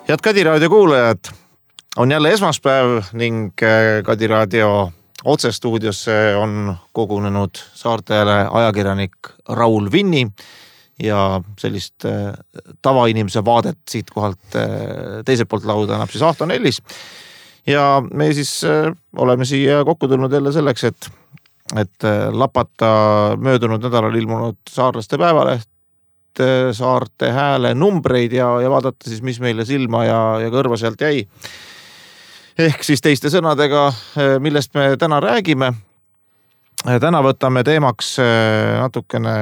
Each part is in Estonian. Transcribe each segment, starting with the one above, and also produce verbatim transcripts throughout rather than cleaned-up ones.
Head Kadi Raadio kuulajad, on jälle esmaspäev ning Kadi Raadio otsestuudiosse on kogunenud saartele ajakirjanik Raul Vinni ja sellist tavainimese vaadet siit kohalt teiselt poolt lauda annab siis Ahto Nellis. Ja me siis oleme siia kokku tulnud jälle selleks, et, et lapata möödunud nädalal ilmunud saarlaste päevaleht, saarte hääle numbreid ja, ja vaadata siis, mis meile silma ja, ja kõrva sealt jäi. Ehk siis teiste sõnadega, millest me täna räägime. Täna võtame teemaks natukene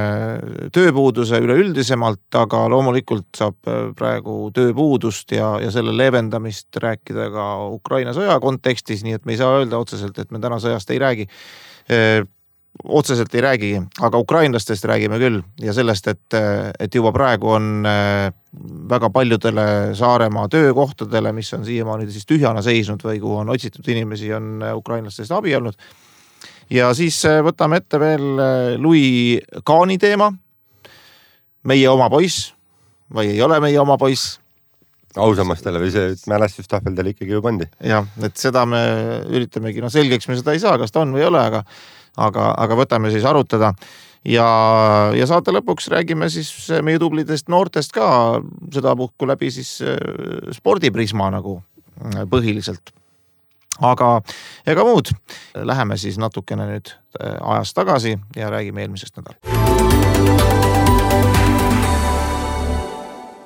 tööpuuduse üleüldisemalt, aga loomulikult saab praegu tööpuudust ja, ja selle leevendamist rääkida ka Ukraina sõja kontekstis, nii et me ei saa öelda otseselt, et me täna sõjast ei räägi. Otseselt ei räägi, aga ukrainlastest räägime küll ja sellest, et, et juba praegu on väga paljudele Saaremaa töökohtadele, mis on siiamaani siis tühjana seisnud või kuhu on otsitud inimesi, on ukrainlastest abi olnud. Ja siis võtame ette veel Louis Kaani teema, meie oma poiss või ei ole meie oma poiss. Ausammastele või see mälestustahveldele ikkagi ju pandi. Ja, et seda me üritamegi, no selgeks me seda ei saa, kas ta on või ei ole, aga Aga, aga võtame siis arutada ja, ja saate lõpuks räägime siis meie tublidest noortest ka seda puhku läbi siis spordiprisma nagu põhiliselt. Aga ega muud, läheme siis natukene nüüd ajas tagasi ja räägime eelmisest nädal.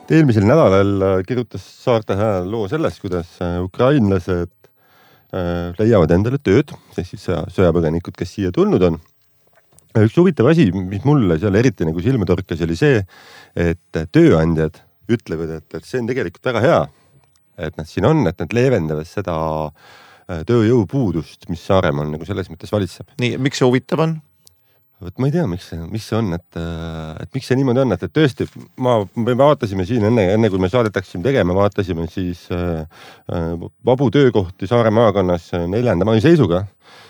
Eelmisel nädalal kirjutas Saarte Hääl loo sellest, kuidas ukrainlased leiavad endale tööd, siis sõjapõgenikud, kes siia tulnud on. Üks huvitav asi, mis mulle seal eriti nagu silma torkas, oli see, et tööandjad ütlevad, et, et see on tegelikult väga hea, et nad siin on, et nad leevendavad seda tööjõupuudust, mis Saaremaal nagu selles mõttes valitseb. Nii, miks see huvitav on? Võt ma ei tea, miks see, mis see on, et, et miks see niimoodi on, et, et tõesti, ma, me vaatasime siin enne, enne kui me saadetaksime tegema, vaatasime siis äh, vabu töökohti Saare maakonnas neljanda mai seisuga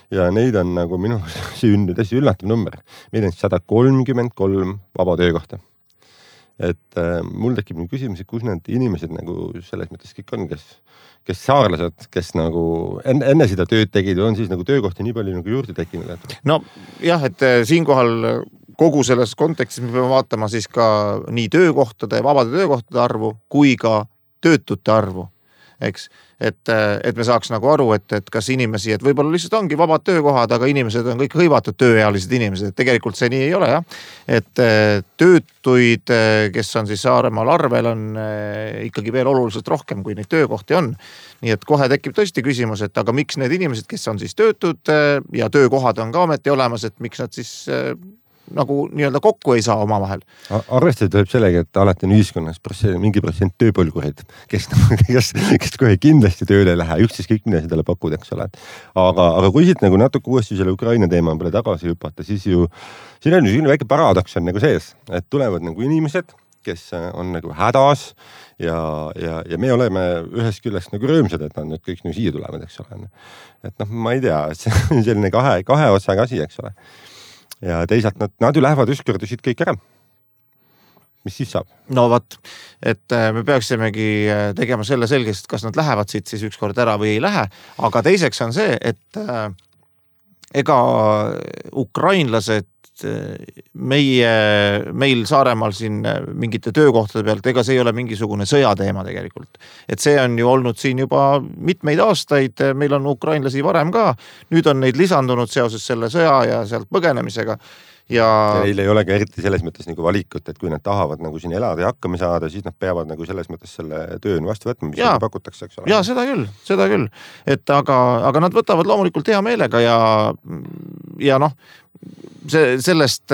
ja neid on nagu minu sünnud hästi üllatav number. Meil on sada kolmkümmend kolm vaba töökohta. Et äh, mul tekib nüüd küsimus, et kus need inimesed nagu selles mõttes kõik on, kes, kes saarlased, kes nagu enne, enne seda tööd tegid, on siis nagu töökohti nii palju nagu juurde tekkinud. Et... No jah, et siinkohal kogu selles kontekstis me peame vaatama siis ka nii töökohtade, vabade töökohtade arvu kui ka töötute arvu. Eks? Et, et me saaks nagu aru, et, et kas inimesi, et võib-olla lihtsalt ongi vabad töökohad, aga inimesed on kõik hõivatud tööealised inimesed, et tegelikult see nii ei ole, jah. Et töötuid, kes on siis Saaremaal arvel, on ikkagi veel oluliselt rohkem, kui neid töökohti on. Nii et kohe tekib tõesti küsimus, et aga miks need inimesed, kes on siis töötud ja töökohad on ka ometi olemas, et miks nad siis nagu nii-öelda kokku ei saa oma vahel. Arvestada tuleb sellega, et alati on ühiskonnas protsent, mingi protsent tööpõlgureid, kes, kes, kes kohe kindlasti tööle ei lähe, üksteist kõik mida seda pakud, eks ole. Aga, aga kui siit nagu natuke uuesti selle Ukraina teema peale tagasi hüpata, siis ju siin on ju väike paradoks on nagu sees, et tulevad nagu inimesed, kes on nagu hädas ja, ja, ja me oleme ühest küljest nagu rõõmsad, et nad nüüd kõik nagu siia tulevad, eks ole. Et noh, ma ei tea, see on selline kahe, kahe otsaga asi, eks ole. Ja teisalt nad, nad ju lähevad ükskord siit kõik ära. Mis siis saab? No vaat, et me peaksimegi tegema selle selgest, kas nad lähevad siit siis ükskord ära või ei lähe. Aga teiseks on see, et ega ukrainlased meie, meil Saaremaal siin mingite töökohtade pealt, ega see ei ole mingisugune sõjateema tegelikult. Et see on ju olnud siin juba mitmeid aastaid, meil on ukrainlasi varem ka, nüüd on neid lisandunud seoses selle sõja ja sealt põgenemisega. Ja... ja neil ei ole ka eriti selles mõttes nagu valikut, et kui nad tahavad nagu siin elada ja hakkama saada, siis nad peavad nagu selles mõttes selle töön vastu võtma, mis ja, pakutakse, eks ole. Ja seda küll, seda küll. Et aga, aga nad võtavad loomulikult hea meelega ja, ja noh, see, sellest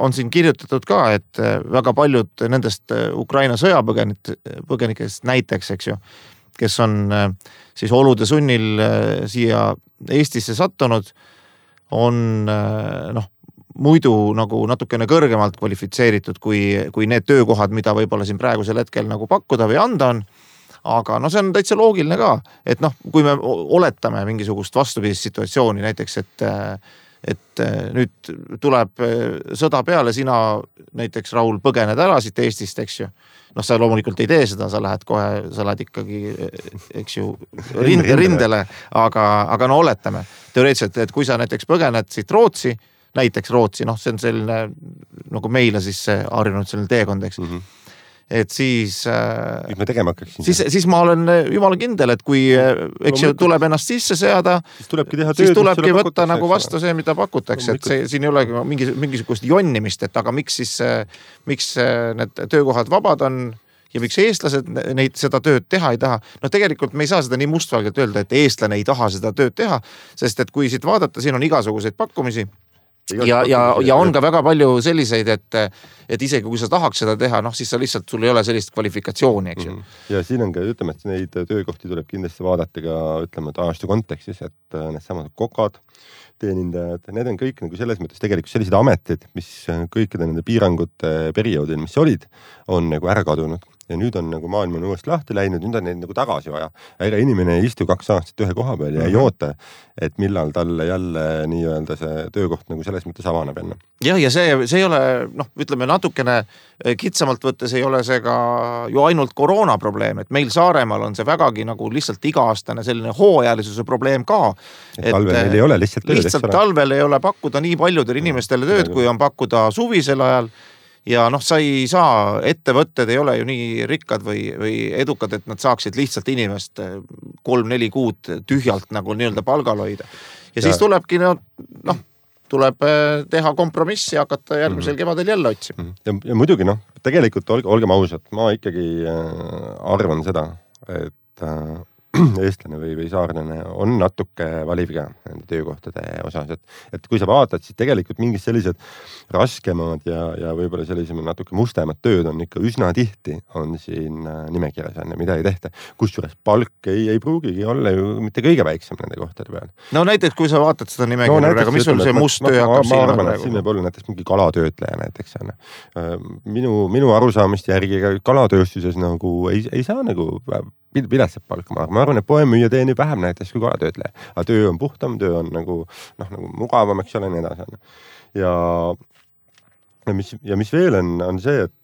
on siin kirjutatud ka, et väga paljud nendest Ukraina sõjapõgenikest näiteks, eks ju, kes on siis olude sunnil siia Eestisse sattunud, on noh, muidu nagu natukene kõrgemalt kvalifitseeritud kui, kui need töökohad, mida võib-olla siin praegusel hetkel nagu pakkuda või anda on. Aga no see on täitsa loogiline ka, et noh, kui me oletame mingisugust vastupidist situatsiooni, näiteks, et et nüüd tuleb sõda peale, sina näiteks Raul põgened ära siit Eestist, eks ju. Noh, sa loomulikult ei tee seda, sa lähed kohe, sa lähed ikkagi, eks ju, rinde, rindele, aga, aga no oletame teoreetiliselt, et kui sa näiteks põgened siit Rootsi, näiteks Rootsi, noh, see on selline, nagu meile siis harjunud selline teekond, eks. Mm-hmm. Et siis, mis me tegema hakkaksin? Siis, siis ma olen jumala kindel, et kui eks ju tuleb ennast sisse seada, siis tulebki teha tööd, siis tulebki võtta nagu vastu see, mida pakutakse, et see, siin ei ole mingi, mingisugust jonnimist, et aga miks siis, miks need töökohad vabad on ja miks eestlased neid seda tööd teha ei taha. No tegelikult me ei saa seda nii mustvalgelt öelda, et eestlane ei taha seda tööd teha, sest et kui siit vaadata, siin on igasuguseid pakkumisi, ja, ja, ja on ka väga palju selliseid, et, et isegi kui sa tahaks seda teha, noh siis sa lihtsalt, sul ei ole sellist kvalifikatsiooni, eks ju. Ja siin on ka, ütleme, et neid töökohti tuleb kindlasti vaadata ka, ütleme, et ajastu kontekstis, et need samad kokad, teenindajad, need on kõik nagu selles mõttes tegelikult sellised ametid, mis kõikide nende piirangute perioodil, mis olid, on nagu ära kadunud. Ja nüüd on nagu maailm on uuesti lahti läinud, nüüd on neid nagu tagasi vaja. Ega inimene ei istu kaks aastat ühe koha peal ja ei oota, et millal talle jälle nii-öelda see töökoht nagu selles mõttes avaneb enne. Jah, ja see, see ei ole, noh, ütleme natukene kitsamalt võttes ei ole see ka ju ainult koroona probleem, et meil Saaremaal on see vägagi nagu lihtsalt iga-aastane selline hooajalisuse probleem ka. Et talvel meil ei ole lihtsalt tööd. Lihtsalt talvel ei ole pakkuda nii paljudel inimestele tööd, kui on pakkuda suvisel ajal. Ja noh, sa ei saa, ettevõtted ei ole ju nii rikkad või, või edukad, et nad saaksid lihtsalt inimest kolm-neli kuud tühjalt nagu nii-öelda palgal hoida. Ja, ja siis tulebki, noh, tuleb teha kompromissi ja hakata järgmisel mm-hmm. kevadel jälle otsima. Ja, ja muidugi, noh, tegelikult olge, olgem ausad, ma ikkagi arvan seda, et eestlane või, või saarlane on natuke valivga nende töökohtade osas, et, et kui sa vaatad, siis tegelikult mingid sellised raskemad ja, ja võib-olla sellised natuke mustemad tööd on ikka üsna tihti on siin nimekirjas on ja mida ei tehta. Kusjuures palk ei, ei pruugigi olla ju mitte kõige väiksem nende kohtade peal. No näiteks, kui sa vaatad seda nimekirja, no, aga mis sul see must töö hakkab siin? Ma arvan, et siin võib olla näiteks mingi kalatöötleja näiteks. Minu, minu arusaamist järgi kalatööstuses nagu ei, ei saa nagu viletsat palka. Ma arvan, et poemüüja teenib vähem näiteks kui kalatöötleja. Aga töö on puhtam, töö on nagu, noh, nagu mugavam, eks ole, nii edasi. Ja, ja, mis, ja mis veel on, on see, et,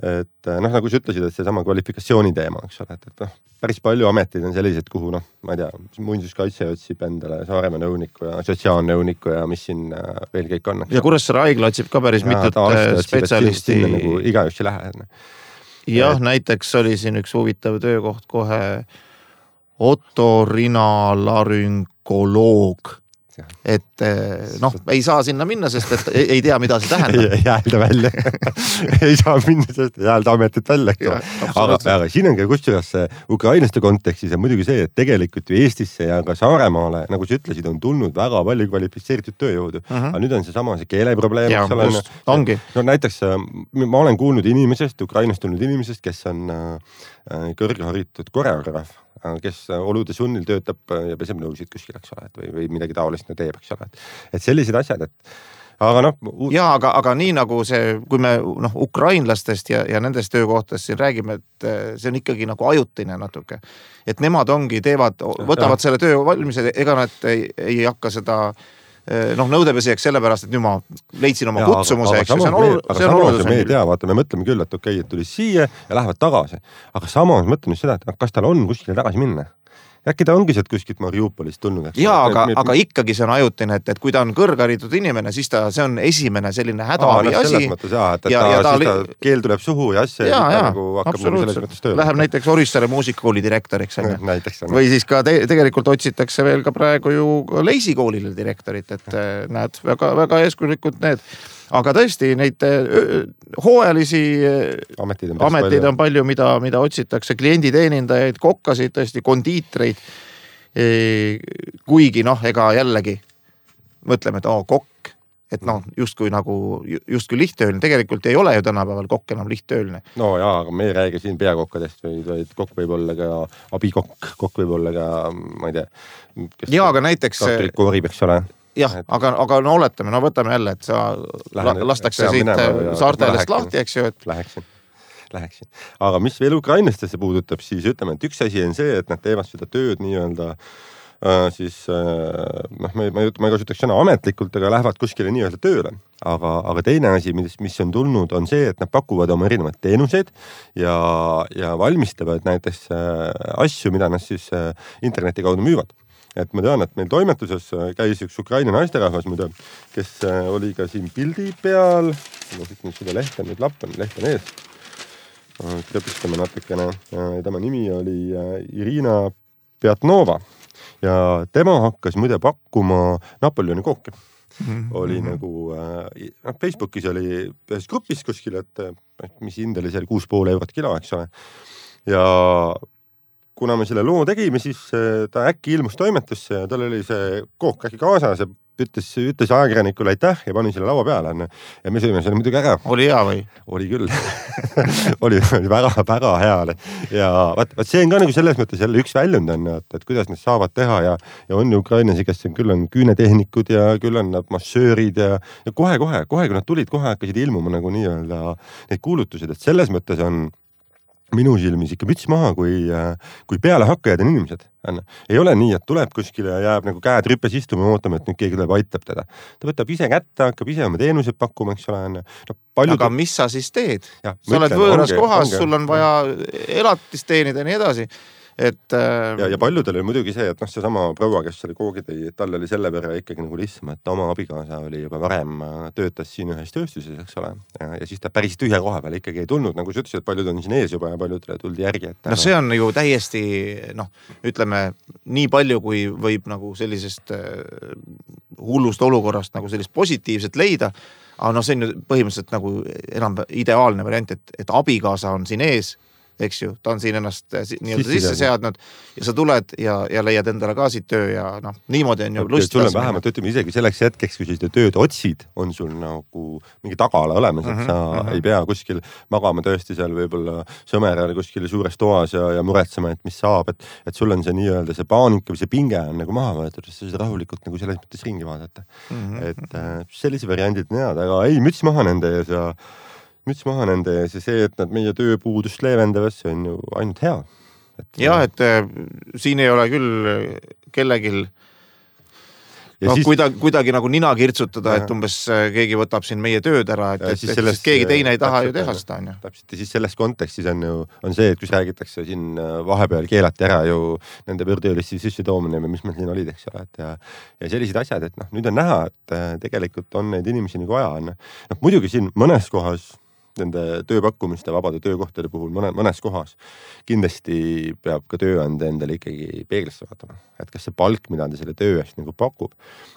et noh, nagu sa ütlesid, et see sama kvalifikatsiooni teema, eks ole, et, et noh, päris palju ametid on sellised, kuhu noh, ma ei tea, muinsuskaitse otsib endale Saaremaa nõuniku ja sotsiaalnõuniku ja mis siin veel kõik on. Ja Kuressaare haigla otsib ka päris mitut spetsialisti. Sinna nagu igaüks ei lähe. Jah, et... näiteks oli siin üks huvitav töökoht kohe otorinalaryngoloog. Et noh, ei saa sinna minna, sest et ei, ei tea, mida see tähendab. Ei häälda välja. Ei saa minna, sest ei häälda ametit välja. Ja, aga, aga siin on ka kusjuures ukrainlaste kontekstis ja muidugi see, et tegelikult ju Eestisse ja ka Saaremaale, nagu sa ütlesid, on tulnud väga palju kvalifitseeritud tööjõudu. Uh-huh. Aga nüüd on see sama see keeleprobleem. Ja, just, ongi. No näiteks ma olen kuulnud inimesest, Ukrainast tulnud inimesest, kes on kõrgharitud koreograaf, kes olude sunnil töötab ja peseb nõusid kuskil, eks ole, või, või midagi taolist teeb, eks ole. Et sellised asjad, et aga noh... Uut... Ja, aga, aga nii nagu see, kui me noh, ukrainlastest ja, ja nendest töökohtast siin räägime, et see on ikkagi nagu ajutine natuke. Et nemad ongi, teevad, võtavad ja. Selle töö valmis, ega nad ei, ei hakka seda noh, nõudepesijaks sellepärast, et nüüd ma leidsin oma ja, kutsumuse, eks ju, see on oluline. Aga samas me ei tea, vaata, me mõtleme küll, et okei, et tuli siia ja lähevad tagasi. Aga samas mõtleme seda, et kas tal on kuskile tagasi minna. Äkki ta ongi sealt kuskilt Mariupolist tulnud. Jaa, aga, me... aga ikkagi see on ajutine, et, et kui ta on kõrgharitud inimene, siis ta, see on esimene selline hädaabi asi. Selles mõttes jah, et, et ja, ta, ja ta, siis ta keel tuleb suhu ja asja ja, ja nagu hakkab nagu selles mõttes tööle. Läheb näiteks Orissaare muusikakooli direktoriks. Näiteks, või siis ka te, tegelikult otsitakse veel ka praegu ju Leisikoolile direktorit, et näed, väga, väga eeskulikud need. Aga tõesti, neid hooajalisi ametid on, ametid palju. on palju, mida, mida otsitakse, klienditeenindajaid, kokkasid, tõesti kondiitreid. Kuigi noh, ega jällegi mõtleme, et oh, kokk, et noh, justkui nagu, justkui lihttööline. Tegelikult ei ole ju tänapäeval kokk enam lihttööline. No jaa, aga me ei räägi siin peakokkadest, või kokk võib olla ka abikokk, kokk võib olla ka, ma ei tea. Jaa, aga näiteks... Kartulikoori peaks ole. Jah, aga, aga no oletame, no võtame jälle, et sa Lähen, lastakse siit saartealest lahti, eks ju. Et... Läheksin, läheksin. Aga mis veel ukrainlastesse puudutab, siis ütleme, et üks asi on see, et nad teevad seda tööd nii-öelda siis noh, ma, ma, ma ei kasutaks sõna ametlikult, aga lähevad kuskile nii-öelda tööle. Aga, aga teine asi, mis, mis on tulnud, on see, et nad pakuvad oma erinevaid teenuseid ja, ja valmistavad näiteks asju, mida nad siis interneti kaudu müüvad. Et ma tean, et meil toimetuses käis üks Ukraina naisterahvas, muide, kes oli ka siin pildi peal. Ma siit nüüd seda lehte, nüüd lapp on, leht on ees. Krepistame natukene. Tema nimi oli Irina Pjatnova ja tema hakkas muide pakkuma Napoleoni kooki. Mm-hmm. Oli nagu, äh, Facebookis oli ühes grupis kuskil, et mis hind oli seal kuus pool eurot kilo, eks ole. Ja kuna me selle loo tegime, siis ta äkki ilmus toimetusse ja tal oli see kook äkki kaasas ja ütles, ütles ajakirjanikule aitäh ja pani selle laua peale. Ja me sõime selle muidugi ära. Oli hea või? Oli küll. oli, oli väga, väga hea. Ja vaat, vaat see on ka nagu selles mõttes jälle üks väljund on, et, et kuidas nad saavad teha ja, ja on ju Ukrainasi, kes on, küll on küünetehnikud ja küll on nad massöörid ja, ja kohe, kohe, kohe, kui nad tulid, kohe hakkasid ilmuma nagu nii-öelda neid kuulutused, et selles mõttes on minu silmis ikka müts maha, kui, kui peale hakkajad on inimesed. Ei ole nii, et tuleb kuskile ja jääb nagu käed rüppes istuma ja ootame, et nüüd keegi tuleb aitab teda. Ta võtab ise kätte, hakkab ise oma teenused pakkuma, eks ole. No, aga ta... mis sa siis teed? Ja, sa oled võõras onge, kohas, onge. Sul on vaja elatist teenida ja nii edasi. Et, äh... ja, ja paljudel oli muidugi see, et noh, see sama proua, kes oli koogi tõi, tal oli selle võrra ikkagi nagu lihtsam, et oma abikaasa oli juba varem töötas siin ühes tööstuses, eks ole. Ja, ja siis ta päris tühja koha peal ikkagi ei tulnud, nagu sa ütlesid, et paljud on siin ees juba ja paljudele tuldi järgi. Et no see on ju täiesti, noh, ütleme, nii palju, kui võib nagu sellisest hullust olukorrast nagu sellist positiivset leida, aga no see on ju põhimõtteliselt nagu enam ideaalne variant, et, et abikaasa on siin ees, eks ju, ta on siin ennast nii-öelda sisse seadnud ja sa tuled ja, ja leiad endale ka siit töö ja noh, niimoodi on ju okay, lust. Sul on vähemalt, ütleme isegi selleks hetkeks, kui seda tööd otsid, on sul nagu mingi tagala olemas, et sa mm -hmm. ei pea kuskil magama tõesti seal võib-olla sõmerale kuskil suures toas ja, ja muretsema, et mis saab, et, et sul on see nii-öelda see paanika või see pinge on nagu maha võetud, et sa seda rahulikult nagu selles mõttes ringi vaadata. Mm -hmm. Et äh, sellise variandid nead, aga ei, müts maha nende ees ja müts maha nende ees ja see, et nad meie tööpuudust leevendavad, see on ju ainult hea. Et, jah, et äh, siin ei ole küll kellegil no, siis... kuidagi, kuidagi nagu nina kirtsutada, ja. Et umbes keegi võtab siin meie tööd ära, et, et, et sellest, keegi teine ei taha ju teha seda. On ju. Täpselt ja siis selles kontekstis on ju on see, et kus räägitakse siin vahepeal keelati ära ju nende võõrtöölisi sisse toomine või mis meil siin olid, eks ole. Et ja, ja sellised asjad, et noh, nüüd on näha, et tegelikult on neid inimesi nagu aja. No, muidugi siin mõnes kohas nende tööpakkumiste vabade töökohtade puhul mõne, mõnes kohas kindlasti peab ka tööandja endale ikkagi peeglisse vaatama, et kas see palk, mida ta selle töö eest nagu pakub,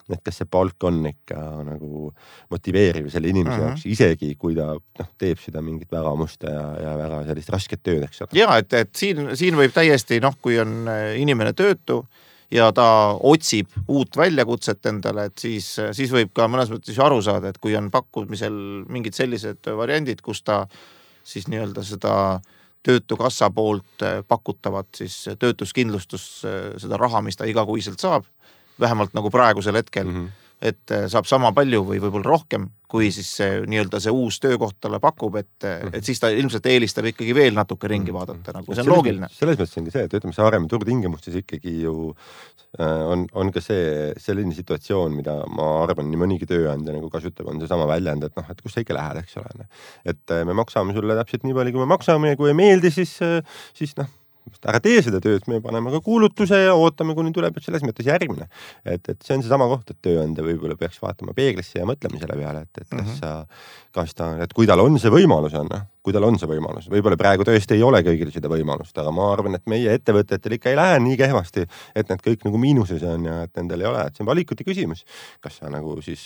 et kas see palk on ikka nagu motiveeriv selle inimese uh-huh. jaoks, isegi kui ta noh, teeb seda mingit väga musta ja, ja väga sellist rasket tööd, eks ole. Ja, et, et siin, siin võib täiesti, noh, kui on inimene töötu ja ta otsib uut väljakutset endale, et siis, siis võib ka mõnes mõttes aru saada, et kui on pakkumisel mingid sellised variandid, kus ta siis nii-öelda seda töötukassa poolt pakutavat siis töötuskindlustus, seda raha, mis ta igakuiselt saab, vähemalt nagu praegusel hetkel, mm-hmm. et saab sama palju või võib-olla rohkem, kui siis see, nii-öelda see uus töökoht talle pakub, et, mm-hmm. et siis ta ilmselt eelistab ikkagi veel natuke ringi vaadata, nagu see on selles, loogiline. Selles mõttes ongi see, et ütleme, see Saaremaa turutingimustes ikkagi ju on, on ka see selline situatsioon, mida ma arvan, nii mõnigi tööandja nagu kasutab, on see sama väljend, et noh, et kus sa ikka lähed, eks ole. Et me maksame sulle täpselt nii palju, kui me maksame ja kui ei meeldi, siis, siis noh, ära tee seda tööd, me paneme ka kuulutuse ja ootame, kuni tuleb selles mõttes järgmine. Et, et see on see sama koht, et tööandja võib-olla peaks vaatama peeglisse ja mõtlema selle peale, et, et kas mm-hmm. sa, kas ta, et kui tal on see võimalus on, kui tal on see võimalus, võib-olla praegu tõesti ei ole kõigil seda võimalust, aga ma arvan, et meie ettevõtetel ikka ei lähe nii kehvasti, et need kõik nagu miinuses on ja et nendel ei ole, et see on valikuti küsimus. Kas sa nagu siis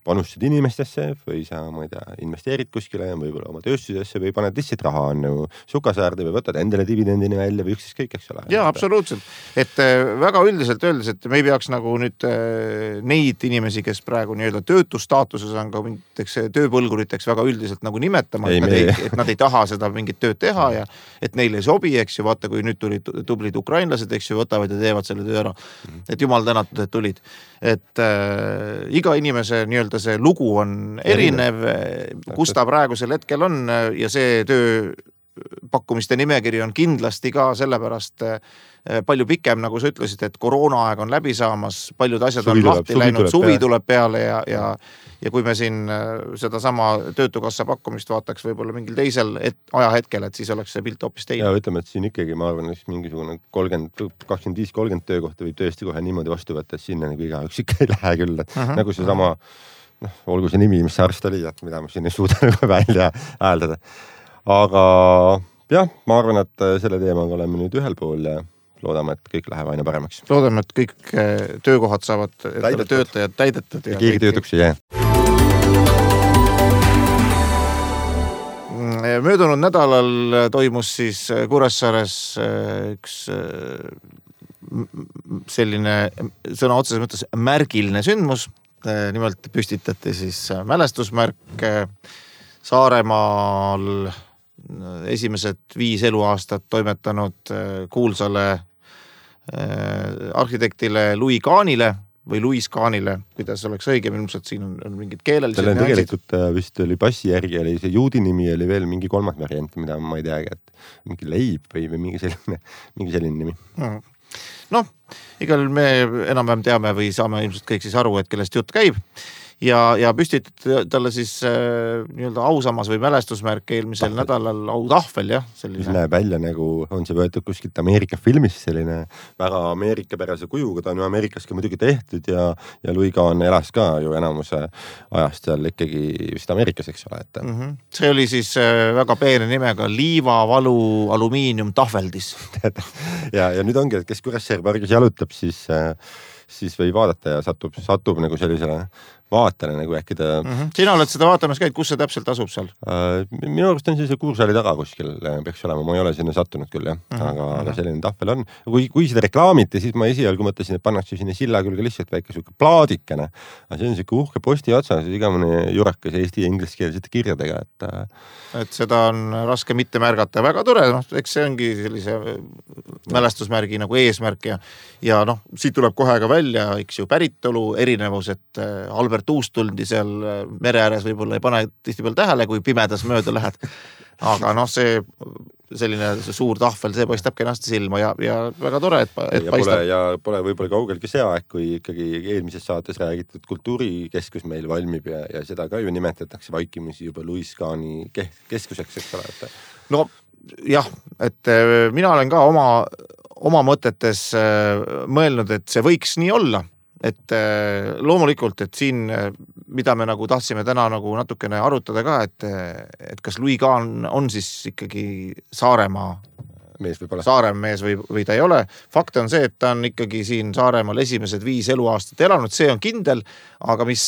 panustad inimestesse või sa, ma ei tea, investeerid kuskile võib-olla oma tööstusesse või paned lihtsalt raha on nagu sukasaarde või võtad endale dividendini välja või üksis kõik, eks ole. Jaa, absoluutselt. Et väga üldiselt öeldes, et me ei peaks nagu nüüd neid inimesi, kes praegu nii-öelda töötustaatuses on ka mingiteks tööpõlguriteks väga üldiselt nagu nimetama, et, ei, nad ei, et nad ei taha seda mingit tööd teha ja et neile ei sobi, eks ju, vaata, kui nüüd tulid tublid ukrainlased, eks ju, võtavad ja teevad selle töö ära. Et jumal tänatud, et tulid. Et äh, iga inimese nii-öelda see lugu on erinev, kus ta praegusel hetkel on ja see töö pakkumiste nimekiri on kindlasti ka sellepärast palju pikem, nagu sa ütlesid, et koroonaaeg on läbi saamas, paljud asjad suvi on tuleb, lahti suvi läinud, tuleb suvi peale. tuleb peale ja, ja, ja kui me siin seda sama töötukassa pakkumist vaataks võib-olla mingil teisel et, ajahetkel, et siis oleks see pilt hoopis teine. Ja ütleme, et siin ikkagi ma arvan, et mingisugune kolmkümmend, kakskümmend viis kolmkümmend töökohta võib tõesti kohe niimoodi vastu võtta, et sinna nagu igaüks ikka ei lähe küll. Et uh-huh. Nagu see sama, noh, olgu see nimi, mis see arst oli, et mida ma siin ei suuda nagu välja hääldada. Aga jah, ma arvan, et selle teemaga oleme nüüd ühel pool ja loodame, et kõik läheb aina paremaks. Loodame, et kõik töökohad saavad töötajad täidetud. Ja keegi töötuks ei jää. Möödunud nädalal toimus siis Kuressaares üks selline sõna otseses mõttes märgiline sündmus. Nimelt püstitati siis mälestusmärk Saaremaal esimesed viis eluaastat toimetanud kuulsale arhitektile Louis Kahnile või Louis Kahnile, kuidas oleks õigem, ilmselt siin on, on mingid keelelised. Tal on tegelikult vist oli passi järgi, oli see juudi nimi, oli veel mingi kolmas variant, mida ma ei teagi, et mingi leib või, või mingi selline, mingi selline nimi. Noh, igal me enam-vähem teame või saame ilmselt kõik siis aru, et kellest jutt käib. Ja, ja püstitati talle siis äh, nii-öelda ausamas või mälestusmärk eelmisel tahvel. Nädalal autahvel, jah. Selline. Näeb välja nagu on see võetud kuskilt Ameerika filmis, selline väga Ameerikapärase kujuga, ta on ju Ameerikas ka muidugi tehtud ja, ja Louis Kahn elas ka ju enamuse ajast seal ikkagi vist Ameerikas, eks ole. Et... Mm-hmm. See oli siis äh, väga peene nimega liivavalu alumiinium tahveldis. ja, ja nüüd ongi, et kes Kuressaare pargis jalutab, siis, äh, siis või vaadata ja satub, satub nagu sellisele vaatele nagu äkki ta... Mm-hmm. Sina oled seda vaatamas käid, kus see täpselt asub seal? Äh, minu arust on see Kuursaali taga kuskil peaks olema, ma ei ole sinna sattunud küll, jah. Mm-hmm. Aga, aga selline tahvel on. Kui, kui seda reklaamiti, siis ma esialgu mõtlesin, et pannakse sinna silla külge lihtsalt väike suke plaadikene. Aga see on siuke uhke posti otsas, igamine jurakas eesti ja ingliskeelsete kirjadega. Et... et seda on raske mitte märgata. Väga tore, noh, eks see ongi sellise mälestusmärgi nagu eesmärk ja, ja noh, siit tuleb kohe ka välja, eks ju, päritolu, erinevus, et Albert Uustuldi seal mere ääres võib-olla ei pane tihtipeale tähele, kui pimedas mööda lähed. Aga noh, see selline see suur tahvel, see paistab kenasti silma ja, ja väga tore, et, et ja paistab. Pole, ja pole võib-olla kaugelgi see aeg, kui ikkagi eelmises saates räägitud kultuurikeskus meil valmib ja, ja seda ka ju nimetatakse vaikimisi juba Louis Kahni keskuseks, eks ole. Et... No jah, et mina olen ka oma, oma mõtetes mõelnud, et see võiks nii olla. Et loomulikult, et siin, mida me nagu tahtsime täna nagu natukene arutada ka, et, et kas Louis Kahn on siis ikkagi Saaremaa mees võib olla. Saaremees või, või ta ei ole. Fakt on see, et ta on ikkagi siin Saaremaal esimesed viis eluaastat elanud, see on kindel, aga mis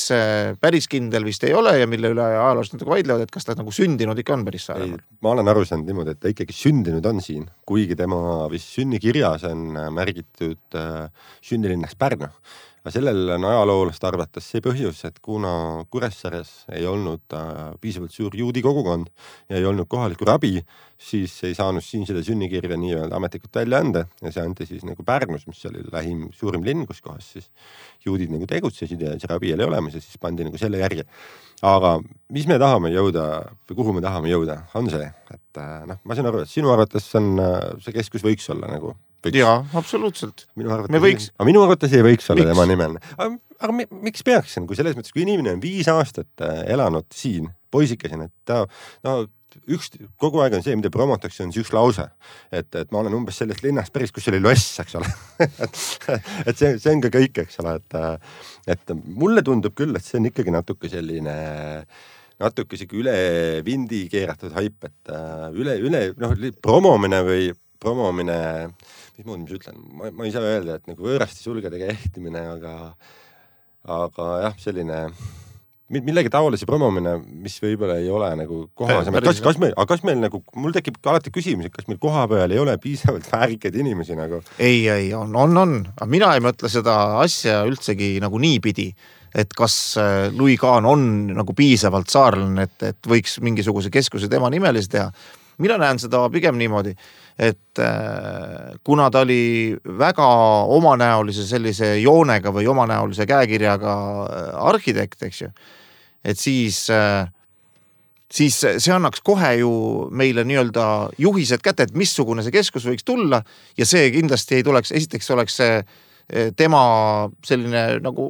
päris kindel vist ei ole ja mille üle ajaloos natuke vaidlevad, et kas ta nagu sündinud ikka on päris Saaremaal. Ma olen aru saanud niimoodi, et ta ikkagi sündinud on siin, kuigi tema vist sünnikirjas on märgitud sünnilinnas Pärnu. Aga sellel on ajaloolast arvates see põhjus, et kuna Kuressaares ei olnud piisavalt suur juudi kogukond ja ei olnud kohalikku rabi, siis ei saanud siin seda sünnikirja nii-öelda ametlikult välja anda ja see anti siis nagu Pärnus, mis oli lähim suurim linn, kus kohas siis juudid nagu tegutsesid ja see rabi oli olemas ja siis pandi nagu selle järgi. Aga mis me tahame jõuda või kuhu me tahame jõuda, on see, et noh, ma saan aru, et sinu arvates on, see keskus võiks olla nagu võiks. Jaa, absoluutselt. Minu arvates, me võiks... Aga minu arvates ei võiks olla miks? Tema nimeline. Aga, aga miks peaks see? Kui selles mõttes, kui inimene on viis aastat elanud siin, poisikesin, et ta, no, üks, kogu aeg on see, mida promotakse, on see üks lause. Et, et ma olen umbes sellest linnast päris, kus oli loss, eks ole. et, et see, see on ka kõik, eks ole. Et, et mulle tundub küll, et see on ikkagi natuke selline... natuke siuke üle vindi keeratud haip, et üle, üle, noh, promomine või promomine, mis muud ma ütlen, ma, ma ei saa öelda, et nagu võõrasti sulgedega ehtimine, aga, aga jah, selline millegi taolise promomine, mis võib-olla ei ole nagu kohasem. Kas, kas meil, aga kas meil nagu, mul tekib alati küsimus, et kas meil koha peal ei ole piisavalt väärikaid inimesi nagu? Ei, ei, on, on, on. Aga mina ei mõtle seda asja üldsegi nagu nii pidi, et kas Louis Kahn on nagu piisavalt saarlane, et, et võiks mingisuguse keskuse tema nimelise teha. Mina näen seda pigem niimoodi, et kuna ta oli väga omanäolise sellise joonega või omanäolise käekirjaga arhitekt, eks ju, et siis siis see annaks kohe ju meile nii-öelda juhised kätte, et missugune see keskus võiks tulla ja see kindlasti ei tuleks, esiteks oleks see tema selline nagu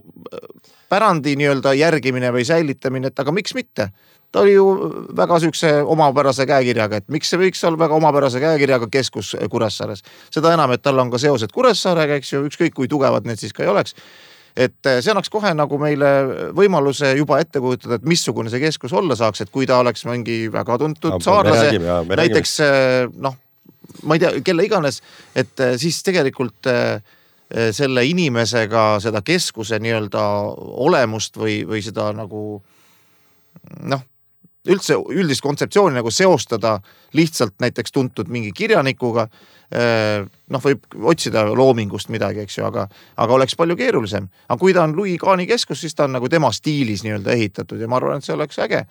pärandi nii-öelda järgimine või säilitamine, et aga miks mitte? Ta oli ju väga sükse omapärase käekirjaga, et miks see võiks olla väga omapärase käekirjaga keskus Kuressaares. Seda enam, et tal on ka seosed Kuressaarega, eks ju, ükskõik kui tugevad need siis ka ei oleks. Et see annaks kohe nagu meile võimaluse juba ette kujutada, et missugune see keskus olla saaks, et kui ta oleks mingi väga tuntud no, saarlase, räägime, jah, näiteks noh, ma ei tea, kelle iganes, et siis tegelikult selle inimesega seda keskuse nii-öelda olemust või, või seda nagu noh, üldse üldist kontseptsiooni nagu seostada lihtsalt näiteks tuntud mingi kirjanikuga, noh võib otsida loomingust midagi, eks ju, aga, aga oleks palju keerulisem. Aga kui ta on Louis Kahni keskus, siis ta on nagu tema stiilis nii-öelda ehitatud ja ma arvan, et see oleks äge.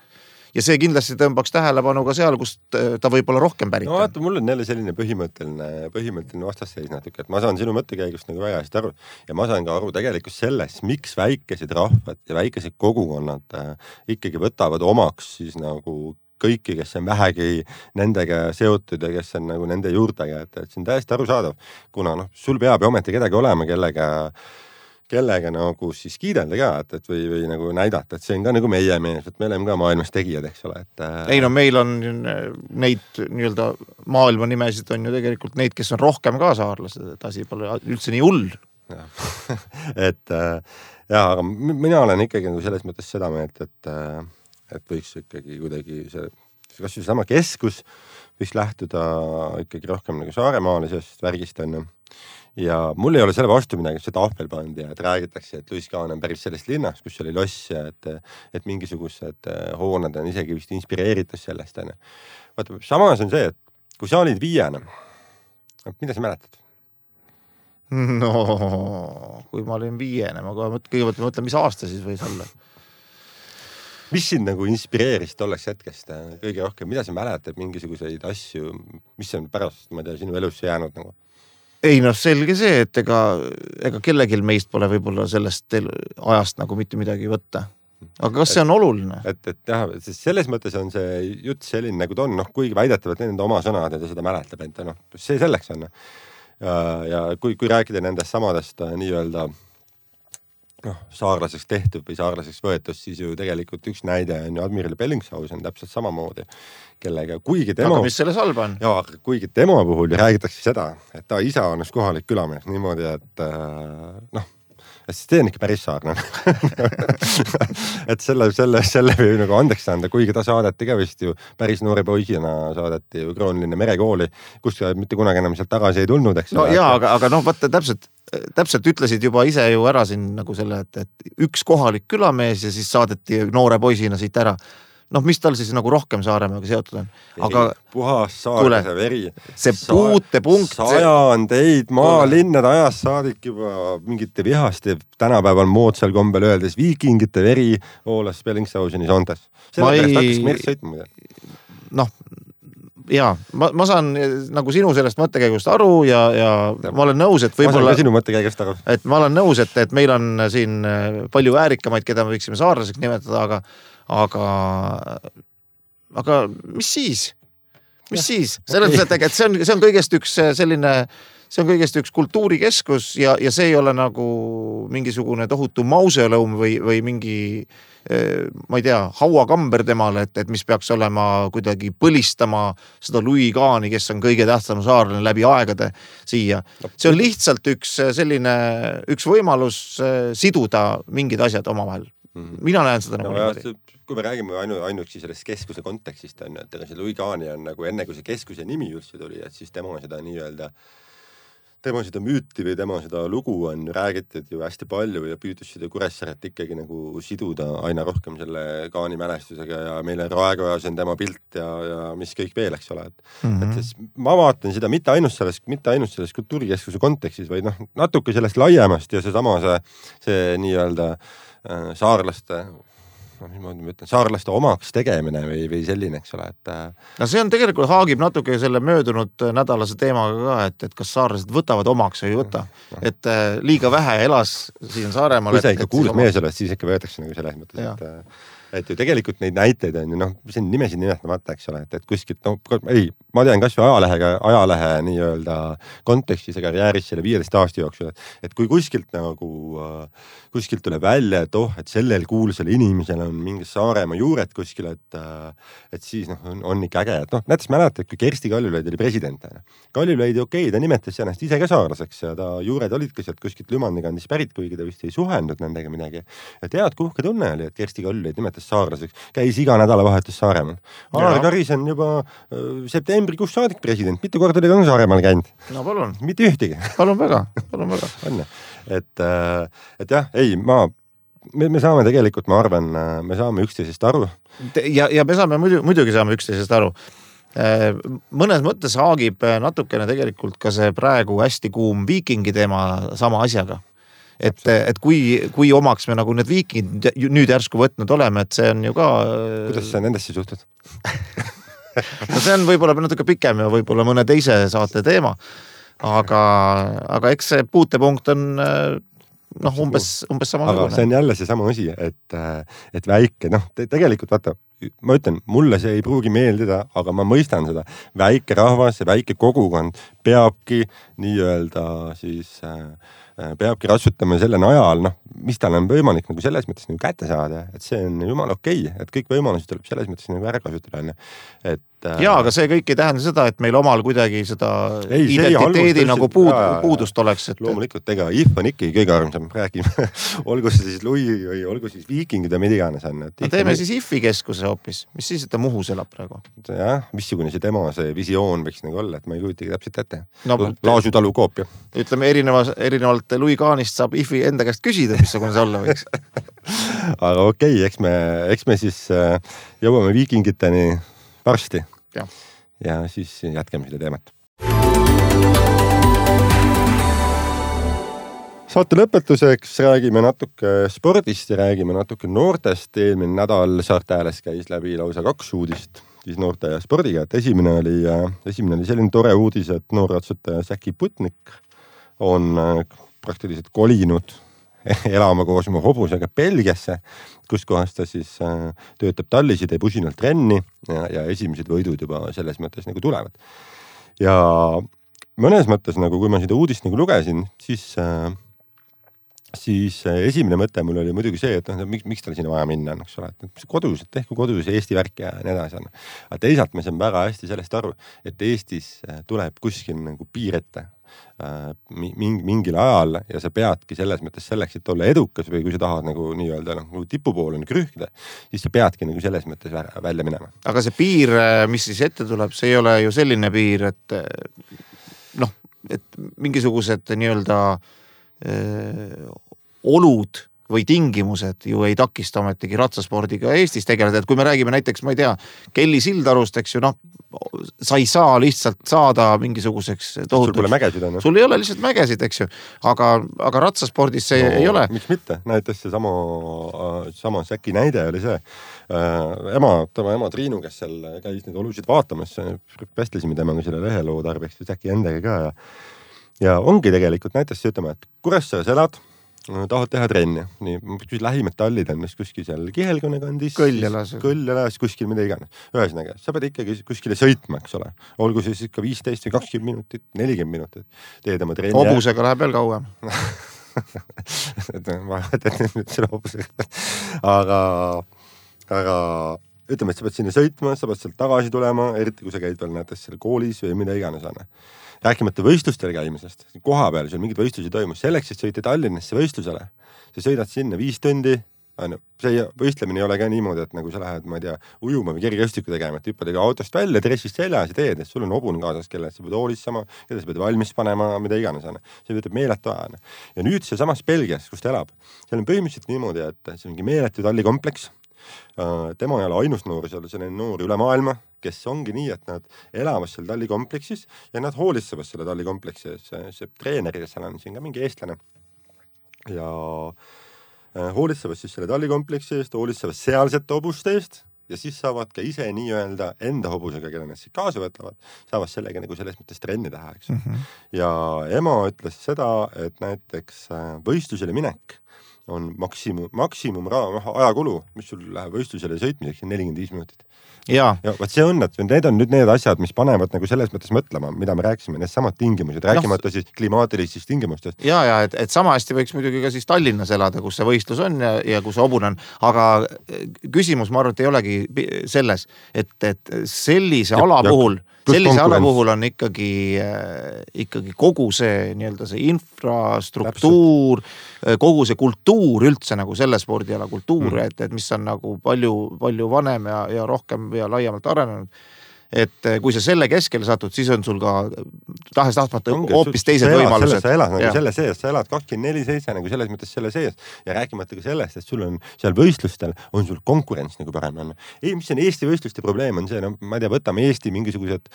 Ja see kindlasti tõmbaks tähelepanu ka seal, kus ta võib olla rohkem pärit. No vaata, mul on jälle selline põhimõtteline, põhimõtteline vastasseis natuke, et ma saan sinu mõttekäigust nagu väga hästi aru ja ma saan ka aru tegelikult sellest, miks väikesed rahvad ja väikesed kogukonnad äh, ikkagi võtavad omaks siis nagu kõiki, kes on vähegi nendega seotud ja kes on nagu nende juurdega, et, et see on täiesti arusaadav, kuna noh, sul peab ju ometi kedagi olema, kellega kellega nagu siis kiidelda ka, et, et või, või nagu näidata, et see on ka nagu meie mees, et me oleme ka maailmas tegijad, eks ole. Et, ei no meil on neid nii-öelda maailma nimesid on ju tegelikult neid, kes on rohkem ka saarlased, et asi pole üldse nii hull. et ja, aga mina olen ikkagi nagu selles mõttes seda meelt, et, et võiks ikkagi kuidagi see, kas see sama keskus võiks lähtuda ikkagi rohkem nagu saaremaalisest värgist on ju. Ja mul ei ole selle vastu midagi, see tahvel pandi ja et räägitakse, et Louis Kahn on päris sellest linnast, kus oli loss ja et, et mingisugused hooned on isegi vist inspireeritud sellest. Vaata, samas on see, et kui sa olid viiene, mida sa mäletad? No, kui ma olin viiene, ma kõigepealt mõtlen, mis aasta siis võis olla. Mis sind nagu inspireeris tolleks hetkest kõige rohkem? Mida sa mäletad mingisuguseid asju, mis on pärast, ma tea, sinu elus jäänud nagu? Ei noh, selge see, et ega, ega kellegil meist pole võib-olla sellest ajast nagu mitte midagi võtta. Aga kas see on oluline? Et, et jah, selles mõttes on see jutt selline nagu ta on, noh, kuigi väidetavad nende oma sõnad ja ta seda mäletab, et noh, see selleks on. Ja, ja kui, kui rääkida nendest samadest nii-öelda noh, saarlaseks tehtud või saarlaseks võetus, siis ju tegelikult üks näide on ju Admiral Bellingshausen täpselt samamoodi, kellega kuigi tema... Aga mis selles halba on? Jaa, kuigi tema puhul räägitakse seda, et ta isa on üks kohalik külamees niimoodi, et noh, et see on ikka päris saarne. et selle, selle, selle või nagu andeks anda, kuigi ta saadeti ka vist ju päris noore poisina saadeti ju Kroonlinna merekooli, kus mitte kunagi enam sealt tagasi ei tulnud, eks. No jaa, aga, aga noh, vaata täpselt, täpselt ütlesid juba ise ju ära siin nagu selle, et, et üks kohalik külamees ja siis saadeti noore poisina siit ära. Noh, mis tal siis nagu rohkem Saaremaaga seotud on? Aga puhas saarlase veri. See puutepunkt. Sajandeid maalinnade ajast saadik juba mingite vihaste tänapäeval moodsal kombel öeldes viikingite veri voolas Bellingshausenis ontes. Selle pärast ei... hakkas merd sõitma. Noh, jaa, ma, ma saan nagu sinu sellest mõttekäigust aru ja, ja, ja ma olen nõus, et võib-olla... Ma saan ka sinu mõttekäigust aru. Et ma olen nõus, et, et meil on siin palju äärikamaid, keda me võiksime saarlaseks nimetada, aga aga aga mis siis? Mis ja, siis? Selles mõttes, et see on, see on kõigest üks selline, see on kõigest üks kultuurikeskus ja, ja see ei ole nagu mingisugune tohutu mausoleum või, või mingi, ma ei tea, hauakamber temale, et, et mis peaks olema kuidagi põlistama seda Louis Kahni, kes on kõige tähtsam saarlane läbi aegade siia. See on lihtsalt üks selline, üks võimalus siduda mingid asjad omavahel. Mina näen seda nagu no, niimoodi. Kui me räägime ainu, ainuüksi sellest keskuse kontekstist, on, et see Louis Kahni on nagu enne, kui see keskuse nimi üldse tuli, et siis tema seda nii-öelda, tema seda müüti või tema seda lugu on räägitud ju hästi palju ja püüdus seda Kuressaaret ikkagi nagu siduda aina rohkem selle Kahni mälestusega ja meile Raekojas on tema pilt ja, ja mis kõik veel, eks ole. Et, mm-hmm. et siis ma vaatan seda mitte ainult selles, mitte ainult selles kultuurikeskuse kontekstis, vaid noh, natuke sellest laiemast ja see sama see, see nii-öelda saarlaste, no, mis ma ütlen, saarlaste omaks tegemine või, või selline, eks ole, et... No see on tegelikult haagib natuke selle möödunud nädalase teemaga ka, et, et kas saarlased võtavad omaks või ei võta. No. Et liiga vähe elas siin Saaremaal. Kui sa ikka kuulus mees oled, siis ikka võetakse nagu selles mõttes, et... et ju tegelikult neid näiteid on ju noh, see on nimesid nimetamata, eks ole, et, et kuskilt, no ei, ma tean kas või ajalehega, ajalehe nii-öelda kontekstis ja karjääris selle viieteist aasta jooksul, et, et kui kuskilt nagu, kuskilt tuleb välja, et oh, et sellel kuulsal inimesel on mingi Saaremaa juured kuskil, et, et siis noh, on, on ikka äge, et noh, näiteks mäletad, kui Kersti Kaljulaid oli president. Kaljulaid, okei, ta nimetas ennast ise ka saarlaseks ja ta juured olid ka sealt kuskilt Lümandi kandis pärit, kuigi ta vist ei suhendud nendega midagi. Ja tead, kuhke tunne oli, et Kersti Kaljulaid nimetas saarlaseks, käis iga nädalavahetus Saaremaal. Alar Karis on juba äh, septembrikuus saadik president, mitu korda oli ka Saaremaal käinud. No palun. Mitte ühtegi. Palun väga, palun väga. On, et, et jah, ei, ma, me, me saame tegelikult, ma arvan, me saame üksteisest aru. Ja, ja me saame muidu, muidugi saame üksteisest aru. Mõnes mõttes haagib natukene tegelikult ka see praegu hästi kuum viikingi teema sama asjaga. Et, et kui, kui omaks me nagu need viikingid nüüd järsku võtnud oleme, et see on ju ka... Kuidas sa nendesse suhtud? No see on võib-olla natuke pikem ja võib-olla mõne teise saate teema, aga, aga eks see puutepunkt on noh, umbes, umbes sama. Aga see on jälle see sama asi, et, et väike, noh, te, tegelikult vaata, ma ütlen, mulle see ei pruugi meeldida, aga ma mõistan seda. Väike rahvas ja väike kogukond peabki nii-öelda siis... peabki ratsutama selle najal, noh, mis tal on võimalik nagu selles mõttes nagu kätte saada, et see on jumal okei, et kõik võimalused tuleb selles mõttes nagu ära kasutada. Et, jaa, aga see kõik ei tähenda seda, et meil omal kuidagi seda ei, identiteedi nagu puud, puudust oleks. Et... Loomulikult, ega I F on ikka kõige armsam, räägime. Olgu see siis Lui või olgu siis viikingid ja mida iganes on. No teeme on... siis I F-i keskuse hoopis, mis siis, et ta Muhus elab praegu? Jah, missugune see tema see visioon võiks nagu olla, et ma ei kujutage täpselt ette. No, Laasu talu koopia. Ütleme, erineva, erinevalt Lui Kaanist saab I F-i enda käest küsida, missugune see olla võiks. Aga okei, okay, eks me, eks me siis jõuame viikingiteni varsti. Ja. ja siis jätkame seda teemat. Saate lõpetuseks räägime natuke spordist ja räägime natuke noortest. Eelmine nädal Saarte Hääles käis läbi lausa kaks uudist siis noorte ja spordiga. Et esimene, oli, esimene oli selline tore uudis, et noorratsutaja Säki Putnik on praktiliselt kolinud elama koos oma hobusega Belgiasse, kus kohas ta siis äh, töötab tallis ja teeb usinalt trenni ja, ja esimesed võidud juba selles mõttes nagu tulevad. Ja mõnes mõttes, nagu kui ma seda uudist nagu lugesin, siis, äh, siis äh, esimene mõte mul oli muidugi see, et noh, miks, miks tal sinna vaja minna, eks ole, et kodus, et tehku kodus Eesti värk ja nii edasi. Aga teisalt me saame väga hästi sellest aru, et Eestis tuleb kuskil nagu piir ette Mingi, mingil ajal ja sa peadki selles mõttes selleks, et olla edukas või kui sa tahad nagu nii-öelda nagu tipupoole krühkida, siis sa peadki nagu selles mõttes välja minema. Aga see piir, mis siis ette tuleb, see ei ole ju selline piir, et noh, et mingisugused nii-öelda öö, olud või tingimused ju ei takista ometigi ratsaspordiga Eestis tegeleda, et kui me räägime näiteks, ma ei tea, Kelly Sildarust, eks ju, noh, sa ei saa lihtsalt saada mingisuguseks tohutuks. Sul pole mägesid on. Sul ei ole lihtsalt mägesid, eks ju, aga, aga ratsaspordis see no, ei ole. Miks mitte? Näiteks see sama, sama Säki näide oli see. Ema, tema ema Triinu, kes seal käis neid olusid vaatamas, pästlesime temaga selle leheloo tarbeks Säki endaga ka ja, ja ongi tegelikult näiteks ütlema, et Kuressaares elad, tahad teha trenni. Nii, kui lähimad tallid on kuskil seal Kihelkonna kandis, Kõljalas, Kõljalas, kuskil mida iganes. Ühesõnaga, sa pead ikkagi kuskile sõitma, eks ole. Olgu siis ikka viisteist või kakskümmend minutit, nelikümmend minutit. Teed oma trenni. Hobusega läheb veel kauem. Ma tean nüüd selle hobusega. Aga, aga ütleme, et sa pead sinna sõitma, sa pead sealt tagasi tulema, eriti kui sa käid veel näiteks seal koolis või mida iganes anna. Rääkimata võistlustel käimisest, koha peal sul mingid võistlusi toimus, selleks, et sõita Tallinnasse võistlusele. Sa sõidad sinna viis tundi, see võistlemine ei ole ka niimoodi, et nagu sa lähed, ma ei tea, ujuma või kergejõustiku tegema, et hüppad autost välja, dressist seljas ja teed, et sul on hobune kaasas, kelle sa pead hoolitsema, keda sa pead valmis panema, mida iganes. See võtab meeletu aja. Ja nüüd see samas Belgias, kus ta elab, seal on põhimõtteliselt niimoodi, et see ongi meeletu tallikompleks. Tema ei ole ainus noor, seal on noor üle maailma, kes ongi nii, et nad elavad seal tallikompleksis ja nad hoolitsevad selle tallikompleksi. See, see treener, kes seal on siin ka mingi eestlane ja hoolitsevad siis selle tallikompleksi eest, hoolitsevad sealsete hobuste eest ja siis saavad ka ise nii-öelda enda hobusega, kelle nad siis kaasa võtavad, saavad sellega nagu selles mõttes trenni teha, eks. Mm-hmm. Ja ema ütles seda, et näiteks võistlusele minek on maksimum, maksimum raha, ajakulu, mis sul läheb võistlusele sõitmiseks nelikümmend viis minutit. Ja, ja vaat see on, et need on nüüd need asjad, mis panevad nagu selles mõttes mõtlema, mida me rääkisime, need samad tingimused, rääkimata no, siis klimaatilistest tingimustest. Ja, ja et, et sama hästi võiks muidugi ka siis Tallinnas elada, kus see võistlus on ja, ja kus see hobune on, aga küsimus, ma arvan, et ei olegi selles, et, et sellise ja, ala ja, puhul sellise ala puhul on ikkagi, ikkagi kogu see, nii-öelda see infrastruktuur, Täpselt. kogu see kultuur üldse nagu selle spordiala kultuur, mm. et, et mis on nagu palju, palju vanem ja, ja rohkem ja laiemalt arenenud. Et kui sa selle keskele satud, siis on sul ka tahes tahtmata hoopis teised võimalused. Sa elad nagu selle sees, sa elad kakskümmend neli seitse nagu selles mõttes selle sees ja rääkimata ka sellest, et sul on seal võistlustel, on sul konkurents nagu parem on. Ei, mis on Eesti võistluste probleem on see, no ma ei tea, võtame Eesti mingisugused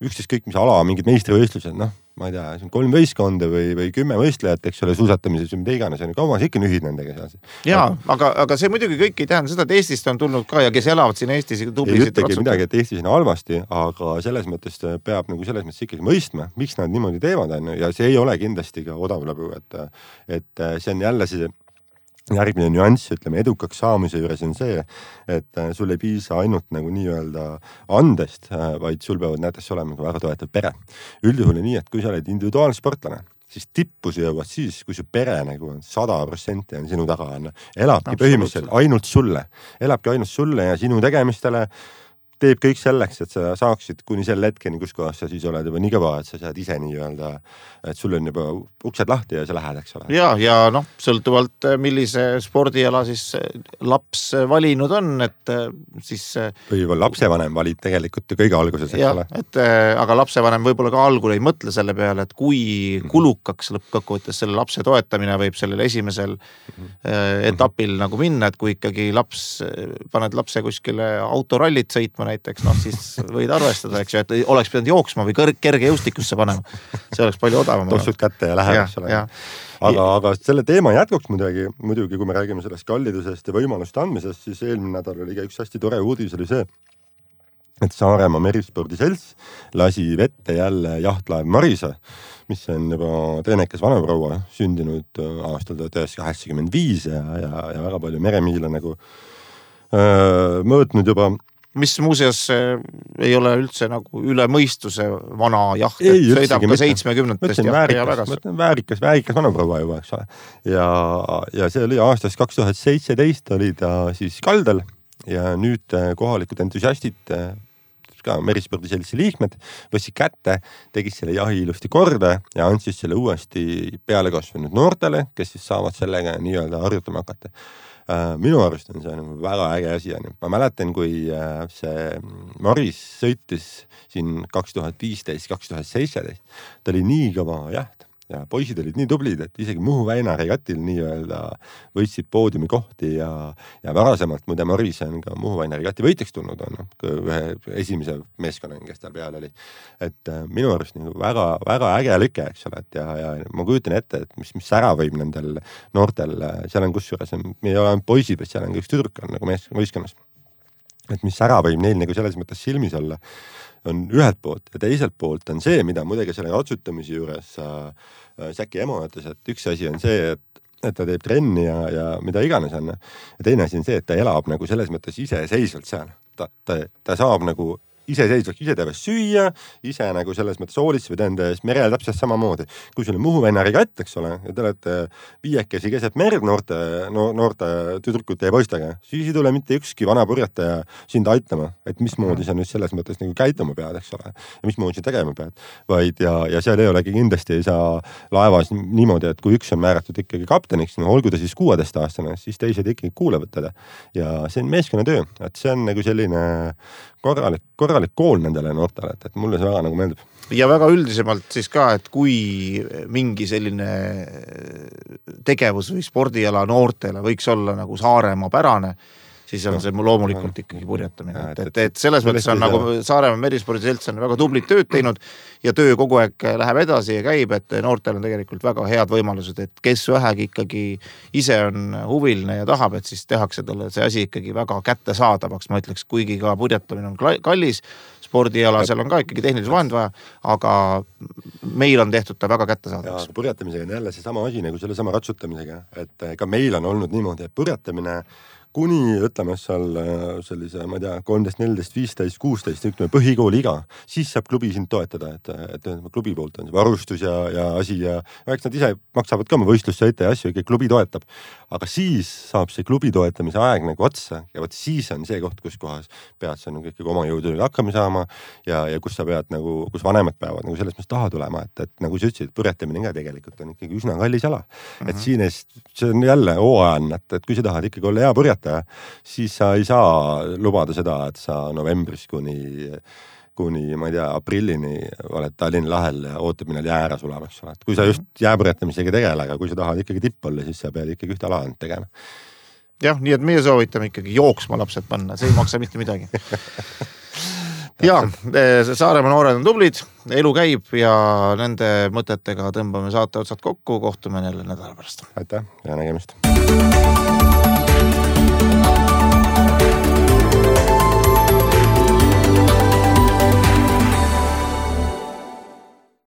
üksteist kõik, mis ala, mingid meistrivõistlused, noh, ma ei tea, see on kolm võistkonda või, või kümme võistlejat, eks ole, suusatamises või mida iganes, on kauas ikka nühid nendega seal. Jaa, aga, aga see muidugi kõik ei tähenda seda, et Eestist on tulnud ka ja kes elavad siin Eestis tublisid. Ei ütlegi midagi, et Eestis on halvasti, aga selles mõttes peab nagu selles mõttes ikkagi mõistma, miks nad niimoodi teevad, ja see ei ole kindlasti ka odav lõbu, et, et see on jälle see järgmine nüanss, ütleme, edukaks saamise juures on see, et sul ei piisa ainult nagu nii-öelda andest, vaid sul peavad näiteks olema väga toetav pere. Üldjuhul on nii, et kui sa oled individuaalsportlane, siis tippusi jõuad siis, kui su pere nagu on sada protsenti on sinu taga, on, elabki põhimõtteliselt ainult sulle, elabki ainult sulle ja sinu tegemistele, teeb kõik selleks, et sa saaksid kuni selle hetkeni, kus kohas sa siis oled juba nii kõva, et sa saad ise nii-öelda, et sul on juba uksed lahti ja sa lähed, eks ole. Ja, ja noh, sõltuvalt millise spordiala siis laps valinud on, et siis... Või lapsevanem valib tegelikult ju kõige alguses, eks ja, ole. Et, aga lapsevanem võib-olla ka algul ei mõtle selle peale, et kui kulukaks lõppkokkuvõttes selle lapse toetamine võib sellel esimesel mm-hmm. etapil nagu minna, et kui ikkagi laps, paned lapse kuskile autorallit sõitma, näiteks, noh siis võid arvestada, eks ju, et oleks pidanud jooksma või kerge jõustikusse panema. See oleks palju odavam. Tossud kätte ja läheb, eks ole. Aga, aga selle teema jätkuks muidugi, muidugi, kui me räägime sellest kallidusest ja võimaluste andmisest, siis eelmine nädal oli ka üks hästi tore uudis oli see, et Saaremaa merispordiselts lasi vette jälle jahtlaev Marisa, mis on juba treenekas vanaproua sündinud aastal tuhat üheksasada kaheksakümmend viis ja, ja, ja väga palju meremiile nagu öö, mõõtnud juba. Mis muuseas ei ole üldse nagu üle mõistuse vana jaht, et ei, sõidab ka seitsmekümnendast väärikas, väärikas, väärikas vanaproua juba, eks ole. Ja, ja see oli aastast kaks tuhat seitseteist oli ta siis kaldal ja nüüd kohalikud entusiastid, ka merispordiseltsi liikmed, võtsid kätte, tegid selle jahi ilusti korda ja andsid selle uuesti peale kasvanud noortele, kes siis saavad sellega nii-öelda harjutama hakata. Minu arust on see väga äge asi. Ma mäletan, kui see Maris sõitis siin kaks tuhat viisteist kaks tuhat seitseteist, ta oli nii kõva jaht ja poisid olid nii tublid, et isegi Muhu väina regatil nii-öelda võitsid poodiumi kohti ja, ja varasemalt muide Maris on ka Muhu väina regati võitjaks tulnud on ühe esimese meeskonna, kes tal peal oli. Et minu arust nagu väga, väga äge lüke, eks ole, et ja, ja ma kujutan ette, et mis, mis ära võib nendel noortel, seal on kusjuures, me ei ole poisid, vaid seal on ka üks tüdruk on nagu võistkonnas. Et mis ära võib neil nagu selles mõttes silmis olla, on ühelt poolt ja teiselt poolt on see, mida muidugi selle ratsutamise juures äh, Säki emo ütles, et üks asi on see, et, et ta teeb trenni ja, ja mida iganes on. Ja teine asi on see, et ta elab nagu selles mõttes iseseisvalt seal. Ta, ta, ta saab nagu iseseisvalt, ise teevad süüa, ise nagu selles mõttes hoolitseb enda ees merel täpselt samamoodi. Kui sul on Muhu väina regatt, eks ole, ja te olete viiekesi keset merd noorte, noorte tüdrukute ja poistega, siis ei tule mitte ükski vana purjataja sind aitama, et mismoodi sa nüüd selles mõttes nagu käituma pead, eks ole, ja mismoodi sa tegema pead. Vaid ja, ja seal ei olegi kindlasti ei saa laevas niimoodi, et kui üks on määratud ikkagi kapteniks, no olgu ta siis kuueteist aastane, siis teised ikkagi kuulevad teda. Ja see on meeskonnatöö, et see on nagu selline korralik, korralik kool nendele noortele, et, et mulle see väga nagu meeldib. Ja väga üldisemalt siis ka, et kui mingi selline tegevus või spordiala noortele võiks olla nagu Saaremaa pärane, siis on see loomulikult ikkagi purjetamine. Et, et, et selles mõttes on nagu Saaremaa Merispordiselts on väga tublit tööd teinud ja töö kogu aeg läheb edasi ja käib, et noortel on tegelikult väga head võimalused, et kes vähegi ikkagi ise on huviline ja tahab, et siis tehakse talle see asi ikkagi väga kättesaadavaks, ma ütleks, kuigi ka purjetamine on kallis, spordiala, seal on ka ikkagi tehnilis vahend vaja, aga meil on tehtud ta väga kättesaadavaks. Ja purjetamisega on jälle see sama asi nagu selle sama ratsutamisega, et ka meil on olnud niimoodi, et purjetamine kuni, ütleme seal sellise, ma ei tea, kolmteist, neliteist, viisteist, kuusteist, ütleme põhikooli iga, siis saab klubi sind toetada, et, et klubi poolt on see varustus ja, ja asi ja eks nad ise maksavad ka oma võistlussõite ja asju, ikka klubi toetab. Aga siis saab see klubi toetamise aeg nagu otsa ja võt siis on see koht, kus kohas pead sa nagu ikkagi oma jõududele hakkama saama ja, ja kus sa pead nagu, kus vanemad peavad nagu selles mõttes taha tulema, et, et nagu sa ütlesid, purjetamine ka tegelikult on ikkagi üsna kallis ala. Mm-hmm. Et siin eest, see on jälle hooajan, et, et kui sa tahad ikkagi olla hea purjetaja, siis sa ei saa lubada seda, et sa novembris kuni, kuni ma ei tea, aprillini oled Tallinna lahel ja ootab minna jäära sulama, eks ole. Kui sa just jääpurjetamisega tegele, aga kui sa tahad ikkagi tipp olla, siis sa pead ikkagi ühte ala tegema. Jah, nii et meie soovitame ikkagi jooksma lapsed panna, see ei maksa mitte midagi. Ja, Saaremaa noored on tublid, elu käib ja nende mõtetega tõmbame saate otsad kokku, kohtume jälle nädala pärast. Aitäh ja nägemist.